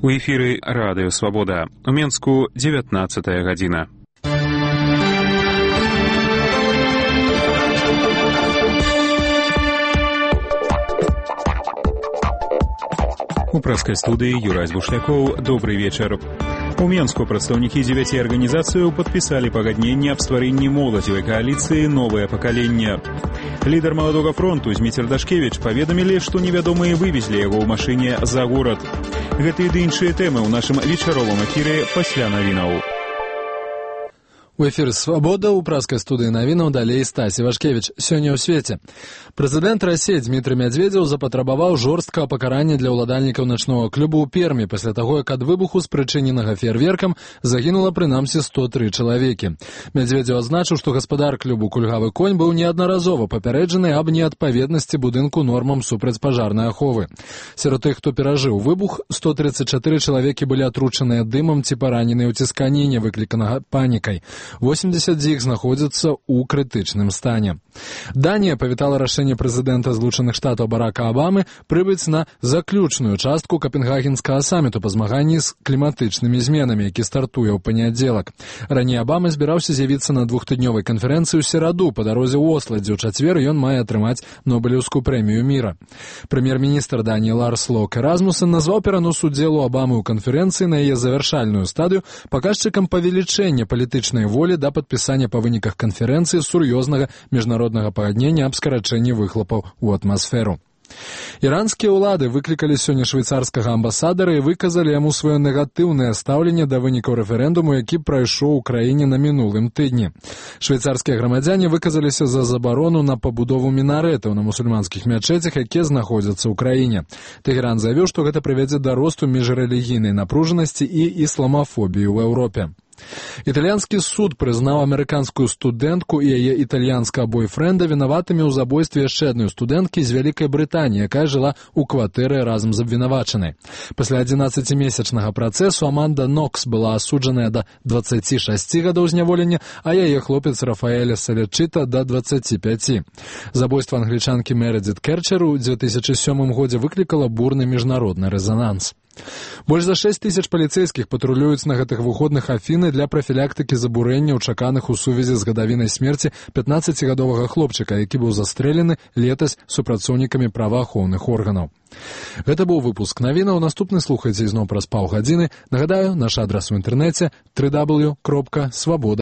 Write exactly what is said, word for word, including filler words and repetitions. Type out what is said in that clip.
У эфіры радыё Свабода. У Менску дзевятнаццатая гадзіна. У прэскай студыі Юрай Бушлякоў. Добрый вечар. У Менску прадстаўнікі дзевяці арганізацыяў падпісалі пагадненне аб стварэнні моладзевай кааліцыі «Новае пакаленне». Лідар маладога фронту Зміцер Дашкевіч паведамілі, што невядомыя вывезлі яго ў машыне за горад. Гэта і іншыя тэмы ў нашым вечаровым эфіры пасля навінаў. У эфіры «Свабода» у праскай студыі навінаў далей Стасі Вашкевіч. Сёння ў свеце. Прэзідэнт Расіі Дмітрый Мядзведзеў запатрабаваў жорсткага пакарання для ўладальнікаў начнога клуба ў Пермі пасля таго, як ад выбуху, спрычыненага феерверкам, загінула прынамсі сто тры чалавекі. Мядзведзеў адзначыў, што гаспадар клубу «Кульгавы конь» быў неаднаразова папярэджаны аб неадпаведнасці будынку нормам супрацьпажарнай аховы. Сярод тых, хто перажыў выбух, сто тридцать чатыры чалавекі былі атручаныя дымам ці параненыя ў цісканіне, выкліканага панікай. восемьдесят з іх знаходзяцца ў крытычным стане. Данія павітала рашэнне прэзідэнта Злучаных Штатаў Барака Абамы прыбыць на заключную частку капенгагенскага саміту па змаганні з кліматычнымі зменамі, які стартуе ў панядзелак. Раней Абама збіраўся з'явіцца на двухтыднёвай канферэнцыі ў сераду па дарозе ў Осла, дзе ў чацвер ён мае атрымаць Нобелеўскую прэмію міра. Прэм'ер-міністр Даніі Ларс Лок Эразмуссен назваў перанос удзелу Абамы ў канферэнцыі на яе завяршальную стадыю паказчыкам павелічэння палітычнай волі да падпісання па выніках канферэнцыі сур'ёзнага міжнароднага пагаднення аб скарачэнні выхлопаў у атмасферу. Іранскія ўлады выклікалі сёння швейцарскага амбасадара і выказалі яму сваё негатыўнае стаўленне да вынікаў рэферэндуму, які прайшоў у краіне на мінулым тыдні. Швейцарскія грамадзяне выказаліся за забарону на пабудову мінарэтаў на мусульманскіх мячэцях, якія знаходзяцца ў краіне. Тэхеран заявіў, што гэта прывядзе да росту міжрэлігійнай напружанасці і ісламафобіі ў Еўропе. Італьянскі суд прызнаў амерыканскую студэнтку і яе італьянскага бойфрэнда вінаватымі ў забойстве яшчэ адной студэнткі з Вялікай Брытаніі, якая жыла ў кватэры разам з абвінавачанай. Пасля адзінаццацімесячнага працэсу Аманда Нокс была асуджаная да дваццаці шасці гадоў зняволення, а яе хлопец Рафаэля Салячыта да дваццаці пяці. Забойства англічанкі Мередзіт Керчер у дзве тысячы сёмым годзе выклікала бурны міжнародны рэзананс. Больш за шэсць тысяч паліцэйскіх патрулююць на гэтых выходных Афіны для прафілактыкі забурэнняў, чаканых у сувязі з гадавінай смерці пятнаццацігадовага хлопчыка, які быў застрэлены летась супрацоўнікамі праваахоўных органаў. Гэта быў выпуск навінаў. Наступны слухайце ізноў праз паўгадзіны. Нагадаю, наш адрас у інтэрнэце дабл ю дабл ю дабл ю кропка свабода.